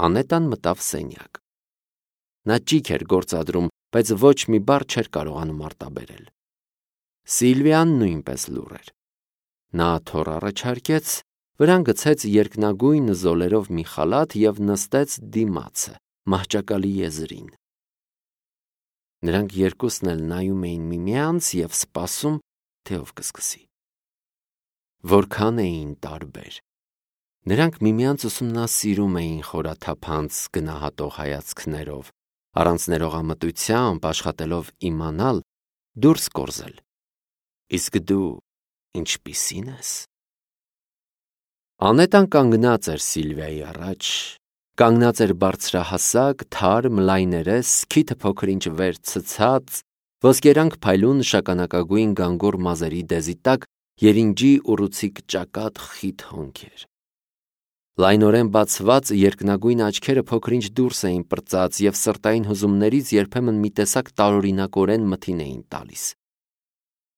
Անետան մտավ սենյակ։ Նա ճիգ էր գործադրում, բայց ոչ մի բառ չէր կարողանում արտաբերել։ Սիլվիան նույնպես լուռ էր։ Նա թոռ առաջարկեց, վրան գցեց երկնագույն զոլերով մի խալաթ և նստեց դիմացը, մահճակալի եզրին։ Նրանք երկուսն էլ նայում էին միմյանց և սպասում, թե ով կսկսի։ Որքան էին տարբեր։ Նրանք միմյանց ուսումնասիրում էին խորաթափանց գնահատող հայացքներով, առանց ներողամտությամբ աշխատելով իմանալ, դուրս կորզել։ Իսկ դու ինչպիսի՞ն ես։ Անետան կանգնած էր Սիլվիայի առաջ, կանգնած էր բարձրահասակ, թարմ, լայներես, քիթը փոքր-ինչ վեր ցցած, ոսկերանք փայլուն շագանակագույն գանգուր մազերի դեզի տակ երինջի ուռուցիկ ճակատ խիտ հոնքեր։ Լայնորեն բացված երկնագույն աչքերը փոքր-ինչ դուրս էին պրծած և սրտային հուզումներից երբեմն մի տեսակ տարօրինակորեն մթին էին տալիս։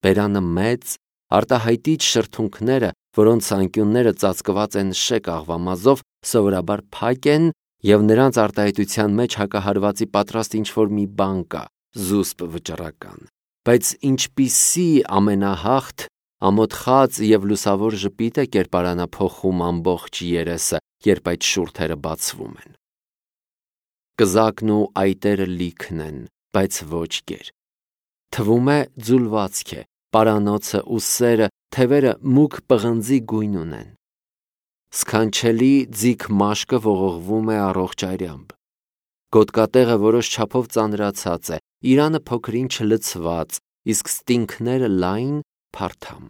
Բերանը մեծ, արտահայտիչ շրթունքները, որոնց անկյունները ծածկված են շեկ աղվամազով, սովորաբար փակ են և նրանց արտահայտության մեջ հակահարվածի պատրաստ ինչ-որ մի բան կա, զուսպ վճռական, բայց ինչպիսի ամենահաղթ, ամոթխած և լուսավոր ժպիտ է կերպարանափոխում ամբողջ երեսը, երբ այդ շուրթերը բացվում են։ Կզակն ու այտերը լիքն են, բայց ոչ գեր։ Թվում է ձուլվածք է, պարանոցը ու սերը, թևերը մուգ պղնձի գույն ունեն։ Սքանչելի ձիգ մաշկը ողողվում է առողջ այրամբ։ Գոտկատեղը որոշ չափով ծանրացած է, իրանը փոքր-ինչ լցված, իսկ ստինգները լայն, փարթամ։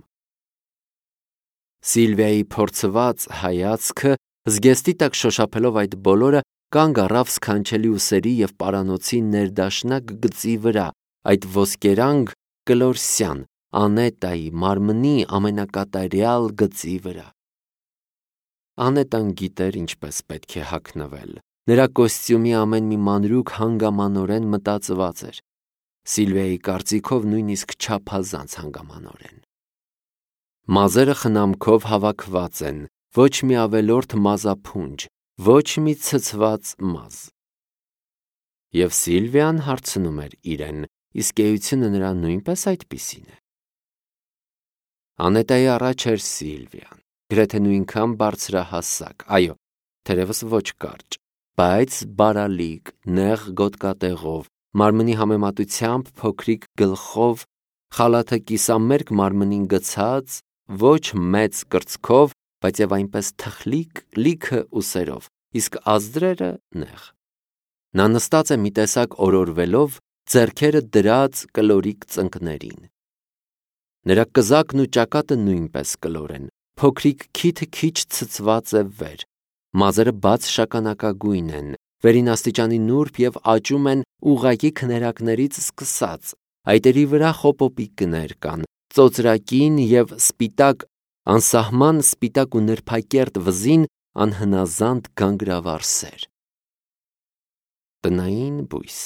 Սիլվիայի փորձված հայացքը, զգեստի տակ շոշափելով այդ բոլորը, կանգ առավ սքանչելի ուսերի և պարանոցի ներդաշնակ գծի վրա, այդ ոսկերանգ կլորսյան, Անետայի մարմնի ամենակատարյալ գծի վրա։ Անետան գիտեր ինչպես պետք է հագնվել։ Նրա կոստյումի ամեն մի մանրուք հանգամանորեն մտածված էր։ Սիլվիայի կարծիքով նույնիսկ չափազանց հանգամանորեն։ Մազերը խնամքով հավաքված են, ոչ մի ավելորդ մազափունջ, ոչ մի ցցված մազ։ Եվ Սիլվիան հարցնում էր իրեն, իսկ էությունը նրա նույնպես այդպիսին է։ Անետայի առաջ էր Սիլվիան, գրեթե նույնքան բարձրահասակ, այո, թերևս ոչ կարճ, բայց բարալիկ, նեղ գոտկատեղով, մարմնի համեմատությամբ փոքրիկ գլխով, խալաթը կիսամերկ մարմնին գցած, ոչ մեծ կրծքով, բայց և այնպես թխլիկ, լիքը ուսերով, իսկ ազդրերը նեղ։ Նա նստած է մի տեսակ օրորվելով, ձեռքերը դրած կլորիկ ծնկներին։ Նրա կզակն ու ճակատը նույնպես կլոր են, փոքրիկ քիթը քիչ ցցված է վեր, մազերը բաց շագանակագույն են, վերին աստիճանի նուրբ և աճում են ուղղակի քներակներից սկսած, այտերի վրա խոպոպիկներ կան, ծոծրակին և սպիտակ, անսահման սպիտակ ու նրբակերտ վզին անհնազանդ գանգրավառ սեր։ Տնային բույս։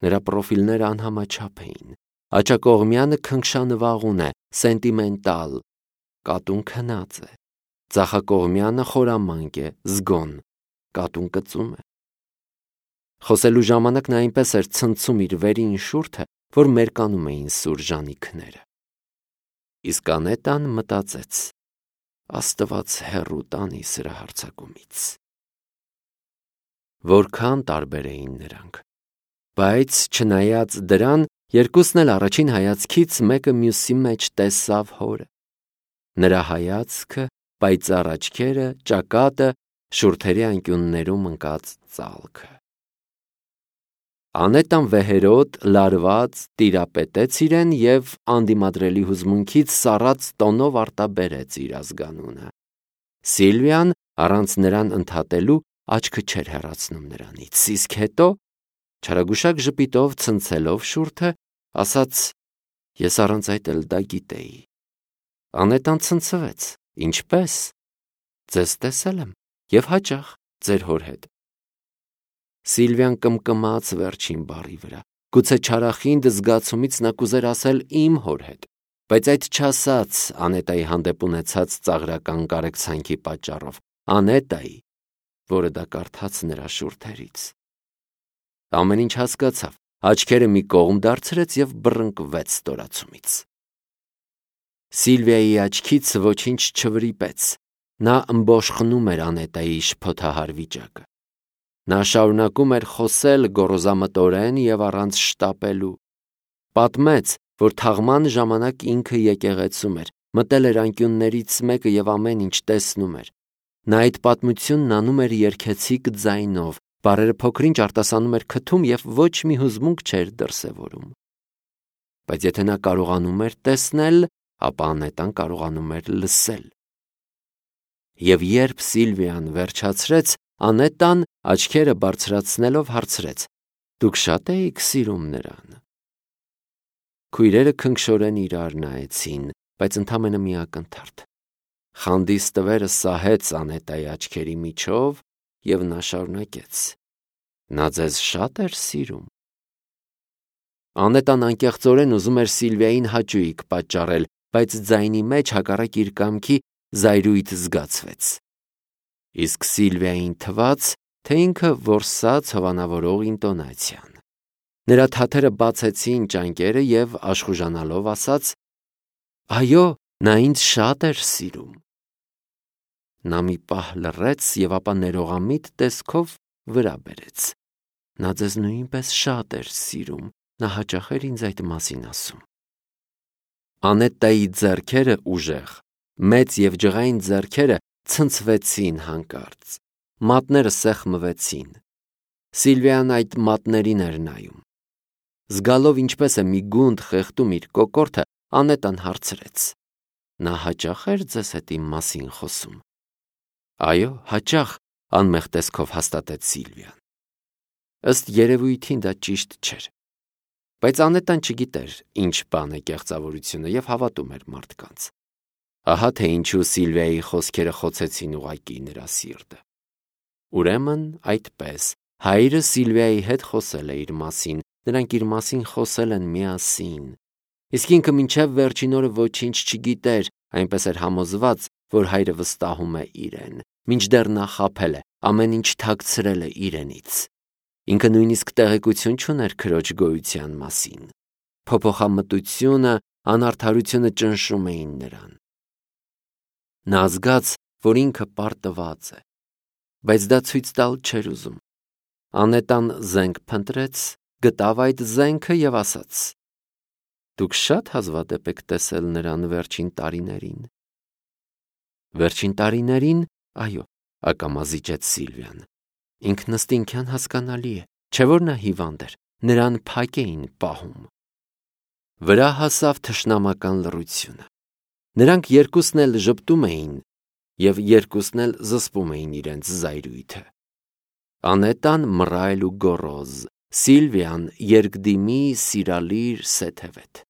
Նրա պրոֆիլները անհամաչափ էին։ Աջակողմյանը քնքշանվաղուն է, սենտիմենտալ, կատուն քնած է։ Ձախակողմյանը խորամանկ է, զգոն, կատուն կծում է։ Խոսելու ժամանակ նա այնպես էր ցնցում իր վերին շուրթը, որ մերկանում էին սուր ժանիքները։ Իսկ Անետան մտածեց. Աստված հեռու տանի սրա հարձակումից։ Որքան տարբեր էին նրանք։ Բայց չնայած դրան, երկուսն էլ առաջին հայացքից մեկը մյուսի մեջ տեսավ հորը։ Նրա հայացքը, պայծառ աչքերը, ճակատը, շուրթերի անկյուններում ընկած ծալքը։ Անետան վեհերոտ, լարված տիրապետեց իրեն և անդիմադրելի հուզմունքից սառած տոնով արտաբերեց իր ազգանունը։ Սիլվիան, առանց նրան ընդհատելու, աչքը չէր հեռացնում նրանից, իսկ հետո, չարագուշակ ժպիտով ցնցելով շուրթը, ասաց. Ես առանց այդ էլ դա գիտեի։ Անետան ցնցվեց. Ինչպե՞ս։ Ձեզ տեսել եմ և հաճախ ձեր հոր հետ։ Սիլվիան կմկմաց վերջին բառի վրա։ Գուցե չարախինդ զգացումից նա կուզեր ասել իմ հոր հետ, բայց այդ չասաց Անետայի հանդեպ ունեցած ծաղրական կարեկցանքի պատճառով, Անետայի, որը դա կարդաց նրա շուրթերից։ Ամեն ինչ հասկացավ, աչքերը մի կողմ դարձրեց և բռնկվեց ստորացումից։ Սիլվիայի աչքից ոչինչ չվրիպեց, նա ըմբոշխնում էր Անետայի շփոթահար վիճակը։ Նա շարունակում էր խոսել գոռոզամտորեն և առանց շտապելու։ Պատմեց, որ թաղման ժամանակ ինքը եկեղեցում էր, մտել էր անկյուններից մեկը և ամեն ինչ տեսնում էր։ Նա այդ պատմությունն անում էր երգեցիկ ձայնով, բառերը փոքր-ինչ արտասանում էր քթում և ոչ մի հուզմունք չէր դրսևորում։ Բայց եթե նա կարողանում էր տեսնել, ապա Անետան կարողանում էր լսել։ Եվ երբ Սիլվիան վերջացրեց, Անետան աչքերը բարձրացնելով հարցրեց. «Դուք շատ էիք սիրում նրան»։ Քույրերը քնքշորեն իրար նայեցին, բայց ընդամենը մի ակնթարթ։ Խանդի ստվերը սահեց Անետայի աչքերի միջով, և նա շարունակեց. «Նա ձեզ շատ էր սիրում»։ Անետան անկեղծորեն ուզում էր Սիլվիային հաճույք պատճառել, բայց ձայնի մեջ հակառակ իր կամքի զայրույթ զգացվեց։ Իսկ Սիլվիային թվաց, թե ինքը որսաց հովանավորող ինտոնացիան։ Նրա թաթերը բացեցին ճանկերը և աշխուժանալով ասաց. «Այո, նա ինձ շատ էր սիրում»։ Նա մի պահ լռեց և ապա ներողամիտ տեսքով վրա բերեց. «Նա ձեզ նույնպես շատ էր սիրում, նա հաճախ էր ինձ այդ մասին ասում»։ Անետայի ձեռքերը ուժեղ, մեծ և ջղային ձեռքերը ցնցվեցին հանկարծ, մատները սեղմվեցին։ Սիլվիան այդ մատներին էր նայում։ Զգալով ինչպես է մի գունդ խեղդում իր կոկորդը, Անետան հարցրեց. «Նա հաճախ էր ձեզ հետ իմ մասին խոսում»։ «Այո, հաճախ», անմեղ տեսքով հաստատեց Սիլվիան։ Ըստ երևույթին դա ճիշտ չէր։ Բայց Անետան չգիտեր ինչ բան է կեղծավորությունը և հավատում էր մարդկանց։ Ահա թե ինչու Սիլվիայի խոսքերը խոցեցին ուղղակի նրա սիրտը։ Ուրեմն այդպես, հայրը Սիլվիայի հետ խոսել է իր մասին, նրանք իր մասին խոսել են միասին։ Իսկ ինքը մինչև վերջին օրը ոչինչ չգիտեր, այնպես էր համոզված, որ հայրը վստահում է իրեն, մինչդեռ նա խաբել է, ամեն ինչ թաքցրել է իրենից։ Ինքը նույնիսկ տեղեկություն չուներ քրոջ գոյության մասին։ Փոփոխամտությունը, անարդարությունը ճնշում էին նրան։ Նա զգաց, որ ինքը պարտված է, բայց դա ցույց տալ չէր ուզում։ Անետան զենք փնտրեց, գտավ այդ զենքը և ասաց. «Դուք շատ հազվադեպ եք տեսել նրան վերջին տարիներին»։ Վերջին տարիներին, այո, ակամա զիջեց Սիլվիան։ Ինքնըստինքյան հասկանալի է, չէ՞ որ նա հիվանդ էր, նրան փակ էին պահում։ Վրա հասավ թշնամական լռությունը։ Նրանք երկուսն էլ ժպտում էին և երկուսն էլ զսպում էին իրենց զայրույթը։ Անետան մռայլ ու գոռոզ, Սիլվիան երկդիմի սիրալիր սեթևետ։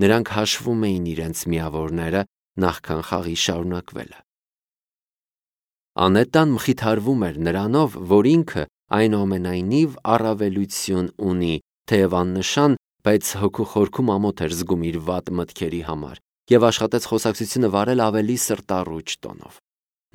Նրանք հաշվում էին իրենց միավորները նախքան խաղի շարունակվելը։ Անետան մխիթարվում էր նրանով, որ ինքը այնուամենայնիվ առավելություն ունի, թեև աննշան, բայց հոգու խորքում ամոթ էր զգում իր վատ մտքերի համար և աշխատեց խոսակցությունը վարել ավելի սրտառուչ տոնով։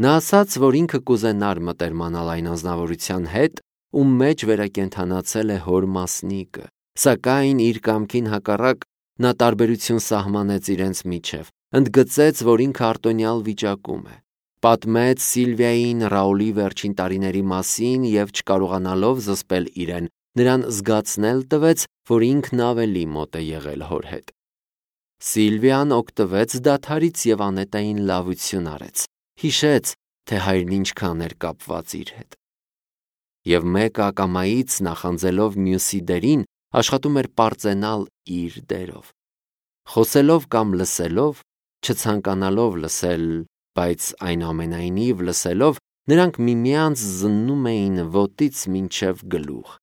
Նա ասաց, որ ինքը կուզենար մտերմանալ այն անձնավորության հետ, ում մեջ վերակենդանացել է հոր մասնիկը, սակայն իր կամքին հակառակ նա տարբերություն սահմանեց իրենց միջև, ընդգծեց, որ ինքը արտոնյալ վիճակում է, պատմեց Սիլվիային Ռաուլի վերջին տարիների մասին և չկարողանալով զսպել իրեն, նրան զգացնել տվեց, որ ինքն ավելի մոտ է եղել հոր հետ։ Սիլվիան օգտվեց դադարից և Անետային լավություն արեց, հիշեց, թե հայրն ինչքան էր կապված իր հետ։ Եվ մեկը ակամայից նախանձելով մյուսի դերին, աշխատում էր պարծենալ իր դերով։ Խոսելով կամ լսելով, չցանկանալով լսել, բայց այնուամենայնիվ լսելով, նրանք միմյանց զննում էին ոտից մինչև գլուխ։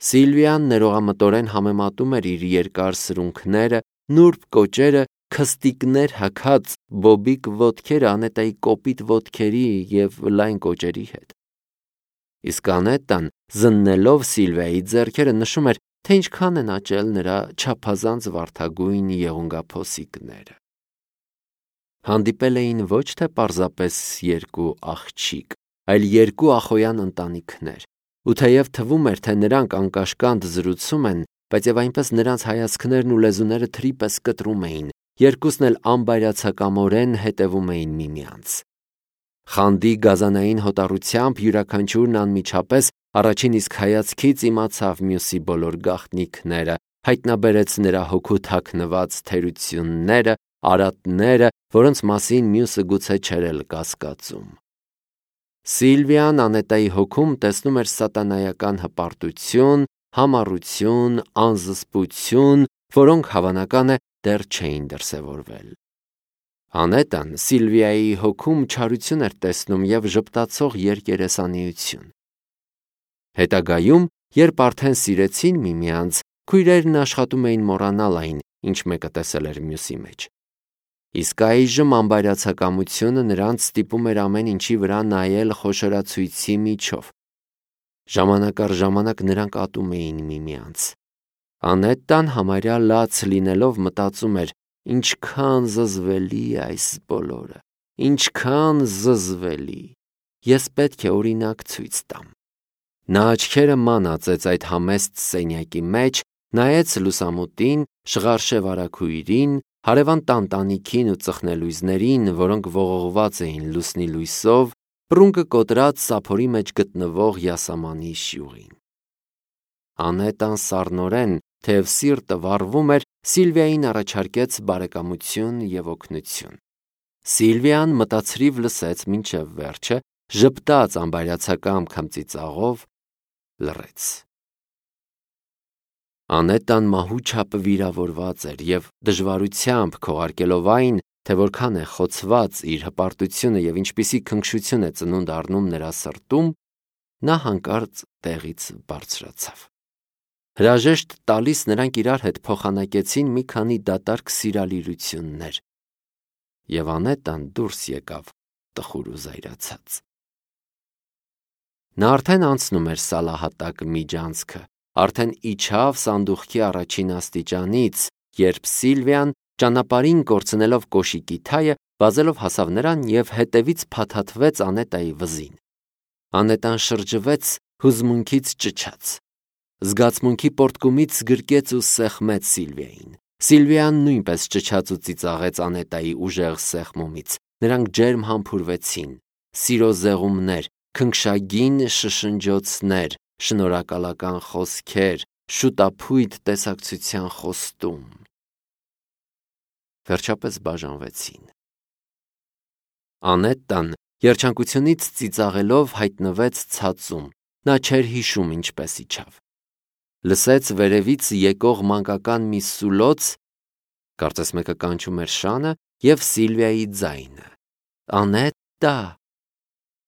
Սիլվիան ներողամտորեն համեմատում էր իր երկար սրունքները, նուրբ կոճերը, քստիկներ հագած բոբիկ ոտքերը Անետայի կոպիտ ոտքերի և լայն կոճերի հետ։ Իսկ Անետան, զննելով Սիլվիայի ձեռքերը, նշում էր, թե ինչքան են աճել նրա չափազանց վարդագույն եղունգափոսիկները։ Հանդիպել էին ոչ թե պարզապես երկու աղջիկ, այլ երկու ախոյան ընտանիքներ։ Ու թեև թվում էր, թե նրանք անկաշկանդ զրուցում են, բայց եւ այնպես նրանց հայացքներն ու լեզուները թրի պես կտրում էին, երկուսն էլ անբայրացակամորեն հետևում էին միմյանց։ Խանդի գազանային հոտառությամբ յուրաքանչյուրն անմիջապես առաջին իսկ հայացքից իմացավ մյուսի բոլոր գաղտնիքները, հայտնաբերեց նրա հոգու թաքնված թերությունները, արատները, որոնց մասին մյուսը գուցե չէր էլ կասկածում։ Սիլվիան Անետայի հոգում տեսնում էր սատանայական հպարտություն, համառություն, անզսպություն, որոնք հավանական է դեռ չէին դրսևորվել։ Անետան Սիլվիայի հոգում չարություն էր տեսնում և ժպտացող երկերեսանիություն։ Հետագայում, երբ արդեն սիրեցին միմյանց, քույրերն աշխատում էին մոռանալ այն, ինչ մեկը տեսել էր մյուսի մեջ։ Իսկ այժմ անբայրացակամությունը նրանց ստիպում էր ամեն ինչի վրա նայել խոշորացույցի միջով։ Ժամանակ առ ժամանակ նրանք ատում էին միմյանց։ Անետան համարյա լաց լինելով մտածում էր. ինչքան զզվելի է այս բոլորը, ինչքան զզվելի, ես պետք է օրինակ ցույց տամ։ Նա աչքերը ման ածեց այդ համեստ սենյակի մեջ, նայեց լուսամուտին, շղարշե վարագույրին, հարևան տանտանիքին ու ծխնելույզներին, որոնք ողողված էին լուսնի լույսով, պռունգը կոտրած սափորի մեջ գտնվող յասամանի շյուղին։ Անետան սառնորեն, թեև սիրտը վառվում էր, Սիլվիային առաջարկեց բարեկամություն և օգնություն։ Սիլվիան մտածրիվ լսեց մինչև վերջը, ժպտաց անբայրացակամ քմծիծաղով, լռեց։ Անետան մահու չափ վիրավորված էր և դժվարությամբ քողարկելով այն, թե որքան է խոցված իր հպարտությունը և ինչպիսի քնքշություն է ծնունդ առնում նրա սրտում, նա հանկարծ տեղից բարձրացավ։ Հրաժեշտ տալիս նրանք իրար հետ փոխանակեցին մի քանի դատարկ սիրալիրություններ, և Անետան դուրս եկավ տխուր ու զայրացած։ Նա արդեն անցնում էր սալահատակ միջանցքը, արդեն իջավ սանդուղքի առաջին աստիճանից, երբ Սիլվիան, ճանապարհին կորցնելով կոշիկի թայը, վազելով հասավ նրան և հետևից փաթաթվեց Անետայի վզին։ Անետան շրջվեց, հուզմունքից ճչաց։ Զգացմունքի պոռթկումից գրկեց ու սեղմեց Սիլվիային։ Սիլվիան նույնպես ճչաց ու ծիծաղեց Անետայի ուժեղ սեղմումից։ Նրանք ջերմ համբուրվեցին։ Սիրո զեղումներ, քնքշագին շշնջոցներ, շնորհակալական խոսքեր, շուտափույթ տեսակցության խոստում։ Վերջապես բաժանվեցին։ Անետան երջանկությունից ծիծաղելով հայտնվեց ցածում։ Նա չէր հիշում ինչպես իջավ։ Լսեց վերևից եկող մանկական մի սուլոց, կարծես մեկը կանչում էր շանը, և Սիլվիայի ձայնը. Անետա։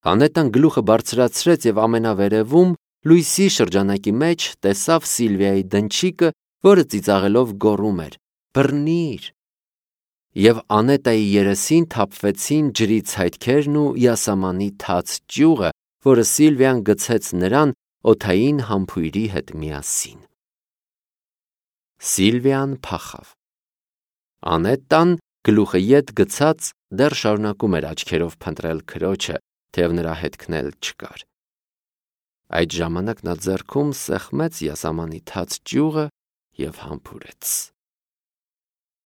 Անետան գլուխը բարձրացրեց և ամենավերևում, լույսի շրջանակի մեջ, տեսավ Սիլվիայի դնչիկը, որը ծիծաղելով գոռում էր. բռնի՛ր։ Եվ Անետայի երեսին թափվեցին ջրի ցայտքերն ու յասամանի թաց ճյուղը, որը Սիլվիան գցեց նրան օդային համբույրի հետ միասին։ Սիլվիան փախավ։ Անետան, գլուխը ետ գցած, դեռ շարունակում էր աչքերով փնտրել քրոջը, թեև նրա հետքն էլ չկար։ Այդ ժամանակ նա ձեռքում սեղմեց յասամանի թաց ճյուղը և համբուրեց։